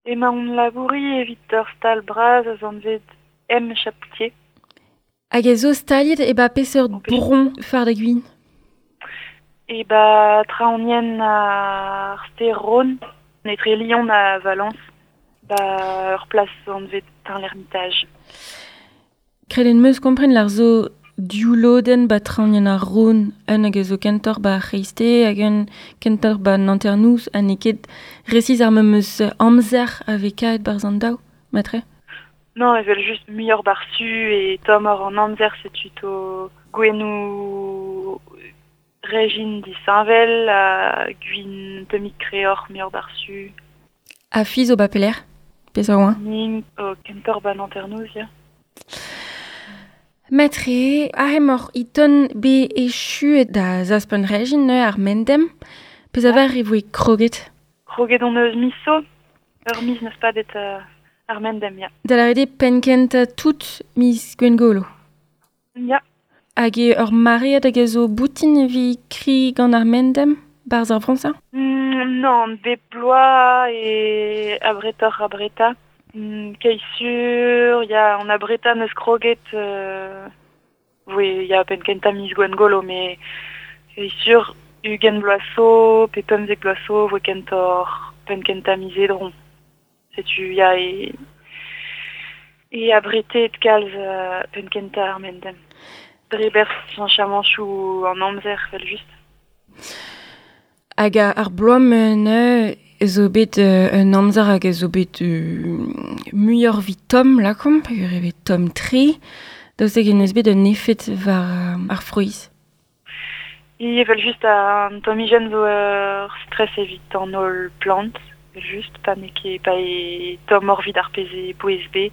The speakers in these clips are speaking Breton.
Emaon labouriñ evit ur stal bras a zo anvet M Chapoutier. Hag ez zo staliet e ba peseurt bron far da gwin? E ba traoñienn ar stêr Rhône, etre Lyon ha Valence, ba ur plas anvet Tain-l'Hermitage. Kredenn 'meus kompren lar zo div lodenn ba traoñienn ar Rhône, un hag a zo kentoc'h ba ar c'hreisteiz hag un kentoc'h ba an hanternoz ha n'eo ket resis ar memes amzer a vez kavet 'barzh an daou, matre? Non, evel-just muioc'h ba'r su e tommoc'h an amzer setu 'to gouennoù rejin disheñvel ha gwin tammig kreoc'h muioc'h ba'r su. Ha fi zo ba pelec'h? Peseurt oa? Nin o kentoc'h ba'n hanternoz, ya. Matre, aze emaoc'h e-ton bet echuet da zaspañ rejin neuze ar mendem. Pezh a var e voe kroget? Kroget on eus miz zo. Ur miz n'eus padet ar mendem, ya. Da lâret eo penn-kentañ tout miz Gwengolo. Ya. Hag eo ur maread hag a zo boutin evit kri gant ar mendem 'barzh ar vro-se? Nann, bep bloaz e abretoc'h abretañ. Keit sur, ya, an abretañ 'neus kroget voe ya penn-kentañ miz Gwengolo, met keit sur 20 vloaz zo pe 15 vloaz zo voe kentoc'h penn-kentañ miz Edron. Setu ya e e abretet kalz penn-kentañ ar mendem. Dre berzh cheñchamantoù an amzer evel-just. Hag ar bloaz-mañ neuze zo bet un amzer hag a zo bet muioc'h evit tomm lakaomp peogwir eo bet tomm-tre. Daoust hag en deus bet un efed war ar frouezh? Evel-just an tommijenn zo ur stress evit an holl plant, evel-just, pa n'eo ket pa eo tommoc'h evit ar pezh e bouez bet.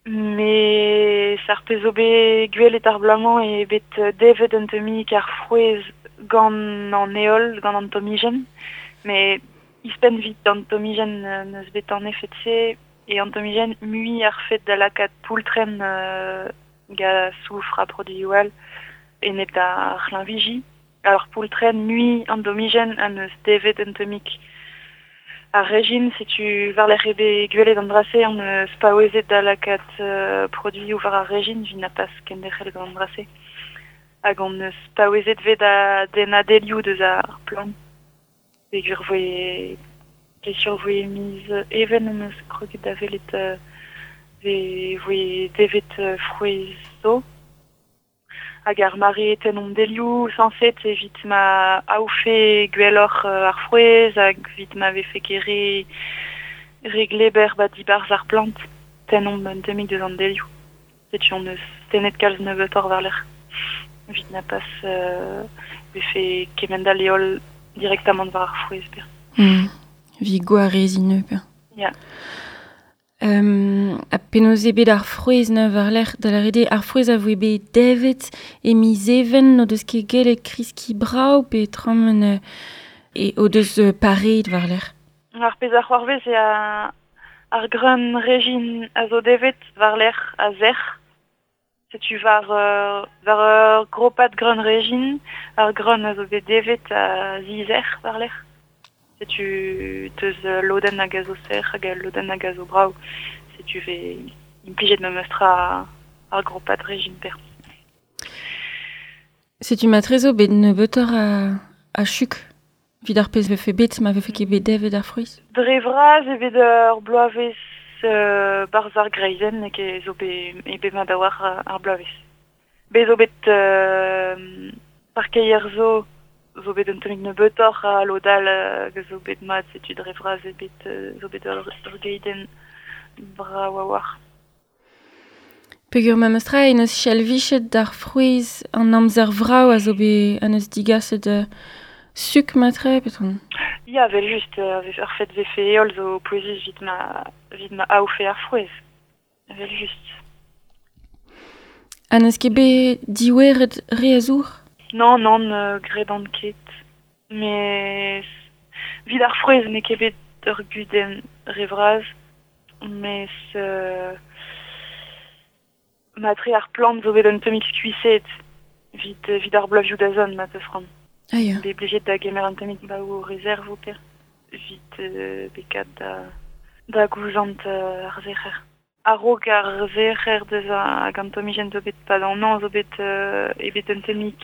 Mes ar pezh zo bet gwelet ar bloaz-mañ eo bet devet un tammig ar frouezh gant an heol, gant an tommijenn. Met ouzhpenn evit an tommijenn n'eus bet an efed-se eo an tommijenn mui ar fed da lakaat poultrenn gant soufr ha produioù all enep d'ar c'hlañviji. Ar poultrenn mui an domijenn ha 'neus devet un tammig ar rejin. Setu war-lerc'h eo bet gwelet an dra-se hon eus paouezet da lakaat produioù war ar rejin evit na pas kenderc'hel gant an dra-se. Hag hon eus paouezet 'vez da dennañ delioù deus ar plant. Peogwir 'voe sur 'voe miz Even hon eus kroget da welet 'voe devet frouezh zo. Hag ar mare tennomp delioù sañset evit ma aofe gwelloc'h ar frouezh hag evit ma vefe ket re re gleber 'ba dibarzh ar plant. Tennomp un tammig deus an delioù. Setu hon eus tennet kalz nebeutoc'h war-lerc'h evit na pas vefe kement-all heol direktamant war ar frouezh. Evit gwareziñ neuze. Ya. Ha penaos eo bet ar frouezh neuze war-lerc'h? Da lâret eo ar frouezh a voe bet devet e miz Even n'o deus ket gellet kreskiñ brav pe tremen e o deus pareet war-lerc'h? Ar pezh a c'hoarvez eo ar greun rejin a zo devet war-lerc'h a sec'h. Setu war war ur gropad greun rejin, ar greun a zo bet devet a zizec'h war-lerc'h. Setu teus lodenn hag a zo sec'h hag al lodenn hag a zo brav. Setu 'vez implijet memestra ar gropad rejin per. Setu matre zo bet nebeutoc'h a chuk evit ar pezh 'vefe bet ma vefe ket bet devet ar frouezh? Dre vras eo bet ur bloavezh 'barzh ar greizenn n'eo ket zo bet eo bet mat a-walc'h ar bloavezh. Bet zo bet parkeier zo zo bet un tammig nebeutoc'h ha lod all hag a zo bet mat setu dre vras eo bet zo bet ur geidenn brav a-walc'h. Peogwir memestra en deus chalvichet d'ar frouezh an amzer vrav a zo bet en deus digaset suk matre petra? Ya, evel-just, ar fed 'vefe heol zo pouezus evit ma evit ma aofe ar frouezh, evel-just. Ha n'eus ket bet dioueret re a zour? Nann, nann, gredan ket. Mes evit ar frouezh n'eo ket bet ur gudenn re vras, mes matre ar plant zo bet un tammig skuizhet evit evit ar bloavezhioù da zont ma 'teus c'hoant. Ah ya. Bet blijet da gemer un tammig baoù rezerv per. vit bekat da gouzant ar zec'her. A-raok ar zec'her deus hag an tomijenn zo bet pad an an zo bet ebet un temik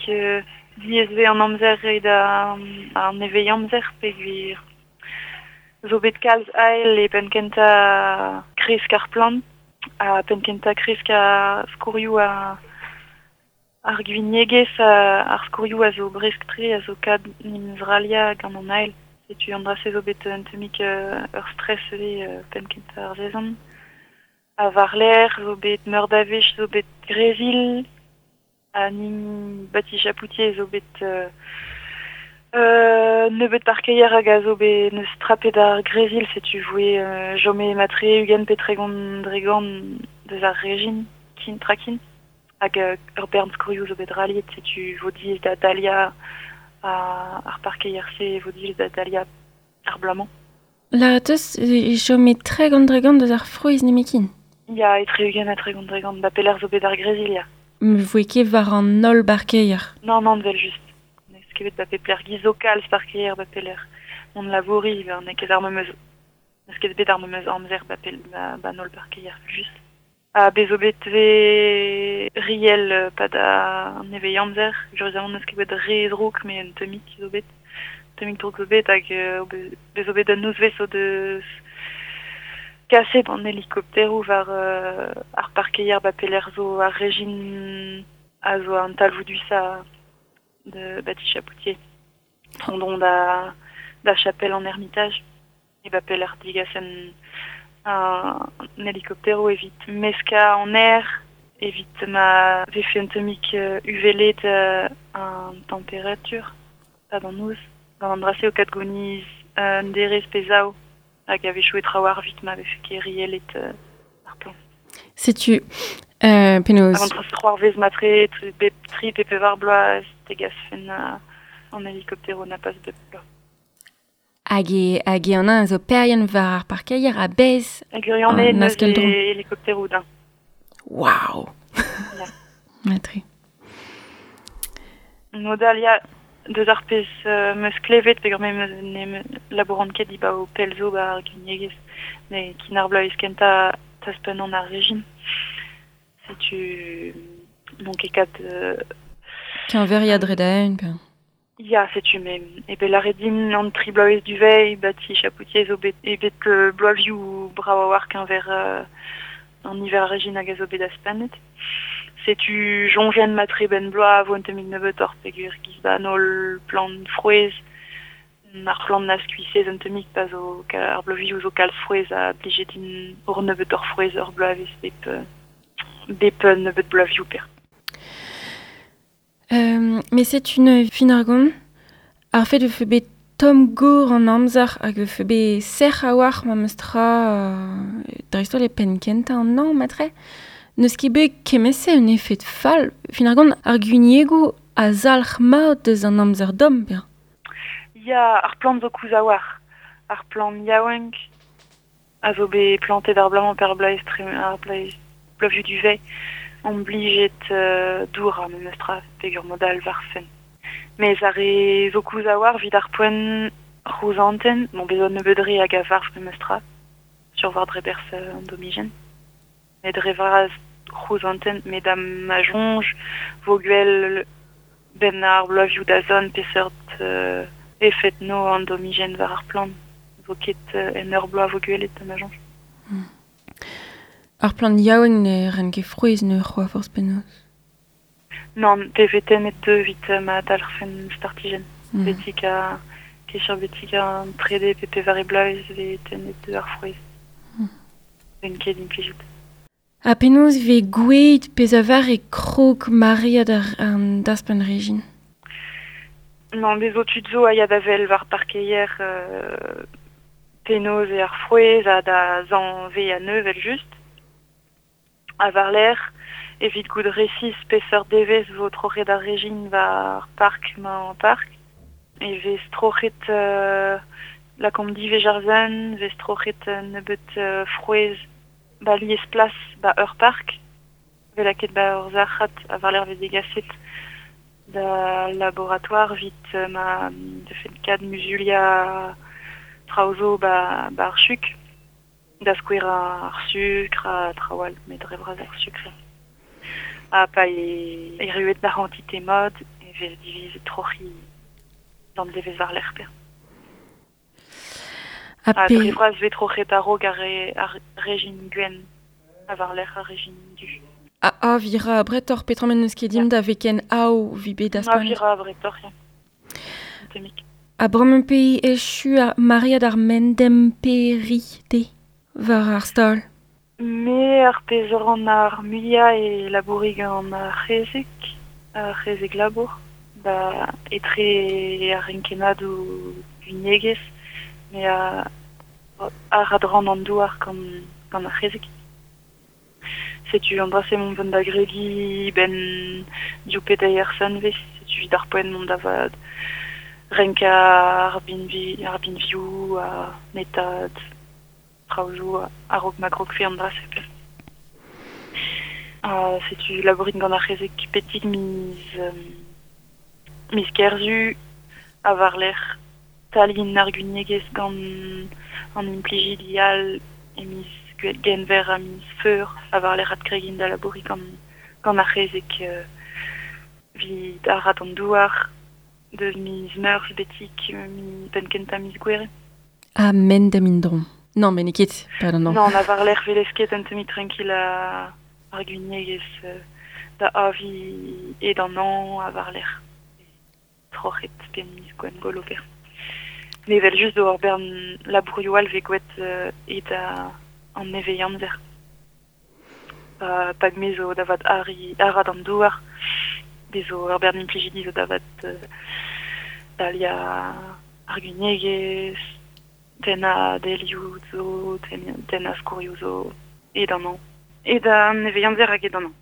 diaes an amzer e da an eveiñ amzer peogwir zo bet kalz ael e penn kentañ kresk ar plant ha penn kentañ kresk ar skourioù ar gwiniegezh ar skourioù a zo bresk-tre a zo kad n'em zralia gant an ael. Setu an dra-se zo bet un temik ur stress ivez penn kentañ ar sezon. Ha war-lerc'h zo bet meur da wech zo bet grezil ha nin bati chapoutier zo bet nebeut parkeier hag a zo bet neus trapet ar grezil setu voe jome matre ugent pe tregont dregant deus ar rejin kin trakin hag ur bern skourioù zo bet raliet setu vo diaes da dalia ar parkeier-se vo diaes da dalia ar bloaz-mañ. Lâret e chome tregont dregant deus ar frouezh nemetken. Ya, etre ugent ha tregont dregant, ba pelec'h zo bet ar grezil, ya. Me voe ket war an holl barkeier. Non, non, vel just. N'eus ket bet ba pep lec'h giz zo kalz parkeier ba pelec'h. On labouri, ba n'eo ket ar memes... N'eus ket bet ar memes amzer ba, pel, ba an holl parkeier, just. Ha bez zo bet ve riel pad an eveiñ amzer. Jurezamant n'eus ket bet re drouk, met un temik zo bet. Temik drouk zo bet hag bez zo bet un nozvezh zo deus kaset an helikopteroù war ar parkeier ba pelec'h zo ar rejin a zo an talvoudusañ de bati chapoutier. Rondon da chapelle en Ermitage. E ba pelec'h digasen un helikopteroù evit meska an aer, evit ma vefe un temik uvelet an temperatur, pad an noz. Gant an dra-se o kad goniz un derez pe zaou hag a vechoù e trawar vit ma vefe ket rielet ar plant. Setu penaos... Hag an dra-se c'hoarvez matre bep tri pe pevar bloaz tegasfen an helikoptero na pas bep bloaz. Hag e an a zo perien war ar parkeier a bez Hag ur an neus helikopteroù da. Waouh. Ya. Matre. Modal ya deus ar pezh meus klevet peogwir me meus ne labouran ket dibaoe pell zo ba ar gwiniegezh ne kin ar bloavezh kentañ taspenn an ar rejin. Setu n'on ket kat... Keñveriañ dre da-eeun pe... Ya, setu me e bet lâret din an tri bloavezh duveiñ bati chapoutier zo bet e bet bloavioù brav a-walc'h keñver an niver a rejin hag a zo bet aspennet. Setu soñjen matre benn bloaz vo un tammig nebeutoc'h peogwir giz ba an holl plant frouezh ar plant na skuizhez un tammig pa zo ar bloavioù zo kalz frouezh a blije din ur nebeutoc'h frouezh ur bloavezh bep nebeut bloavioù per. Mais c'est une fin ar gont. Ar fet vefe bet tomm gor an amzer hag vefe bet sec'h a-walc'h ma meus tra dreist-holl e penn kentañ an hañv matre. N'eus ket bet kement-se un efed fall. Fin ar gont ar gwiniegoù a zalc'h mat deus an amzer domm, bien. Ya, ar plant zo koulz a-walc'h. Ar plant yaouank a zo bet plantet ar bloaz-mañ pe ar bloaz ar bloavioù duveiñ. On blijet dour ar memes tra peogwir modal war-fenn. Mes ar re zo koulz a-walc'h evit ar poent rouzantenn, bon bezañ nebeut re hag a varv memes tra, sur war dre berzh an domijenn. Met dre vras rouzantenn, met da ma soñj vo gwell benn ar bloavioù da zont peseurt efed no an domijenn war ar plant. Vo ket en ur bloaz vo gwelet da ma soñj. Ar plant yaouank ne ren ket frouezh ne c'hoa forzh penaos. Non, pe vetennet deu evit ma dalc'hfen startijenn. Betik a kechar betik an trede pe pevare bloaz vetennet deu ar frouezh. Ben ket implijout. Ha penaos vez gouezet pezh a var e krog maread an daspenn rejin? Non, bez zo tud zo a ya da wel war parkeier penaos eo ar frouezh ha da zañve a neuvel just. A war-lerc'h evit goût resis peseurt devezh vo troc'het ar rejin war park-mañ park. E vez troc'het lakaomp diwezh ar zen, vez troc'het nebeut frouezh ba lies plas ba ur park. Vez lakaet ba ur zac'had a war-lerc'h vez degaset da laboratoire vit ma defen kad muzuliañ Traoù zo ba, ba ar chuk, da skouer ar sukr ha traoù all, met dre vras ar sukr. Ha pa e erruet d'ar c'hantite mat, e vez divizet troc'hiñ d'an devezh war-lerc'h pe. Ha Ha pe dre vras vez troc'het a-raok ar, re, ar rejin gwenn, ha war-lerc'h ar rejin du. A, a vira bretoc'h petra men neus ket dimp da veken ao vi bet A daspanet. vira bretoc'h, ya. Un tammig. Ha bremañ pe echu ar maread ar mendem-peri te war ar stal. Me ar pezh a ran ar muiañ e labouri gant ar c'hezeg labour, ba etre ar renkennadoù gwiniegezh, me a arat ran an douar gant, gant ar c'hezeg. Setu an dra-se mont vont da gregiñ ben div pe deir sizhunvezh, setu evit ar poent mont da vat renkañ ar binvi, ar binvioù, ar netad, traoù zo a-raok ma grogfe an dra-se pe. Ha setu labourin gant ar c'hezeg betek miz, miz Kerzu ha war-lerc'h talin ar gwiniegezh gant an implijidi all e miz Genver ha miz Feur ha war-lerc'h adkregin da labouriñ gant, gant ar c'hezeg evit arat an douar deus miz Meurzh betek mi penn kentañ miz Gouere. Ha mendem indron. Non, met n'eo ket, pardon, non. Non, na war-lerc'h velez ket un tammig tranquille ar gwiniegezh da avi ed an hañv ha war-lerc'h troc'het pe miz Gwengolo pe. Mais evel just zo ur bern labourioù all vez gwet ed an nevez-amzer. Pa, pag me zo da vat arri, arat an douar, bez zo ur bern implijidi zo da vat dalia ar gwiniegezh, tennañ delioù zo, tennañ skourioù zo, ed an hañv. Ed an nevez-amzer hag ed an hañv.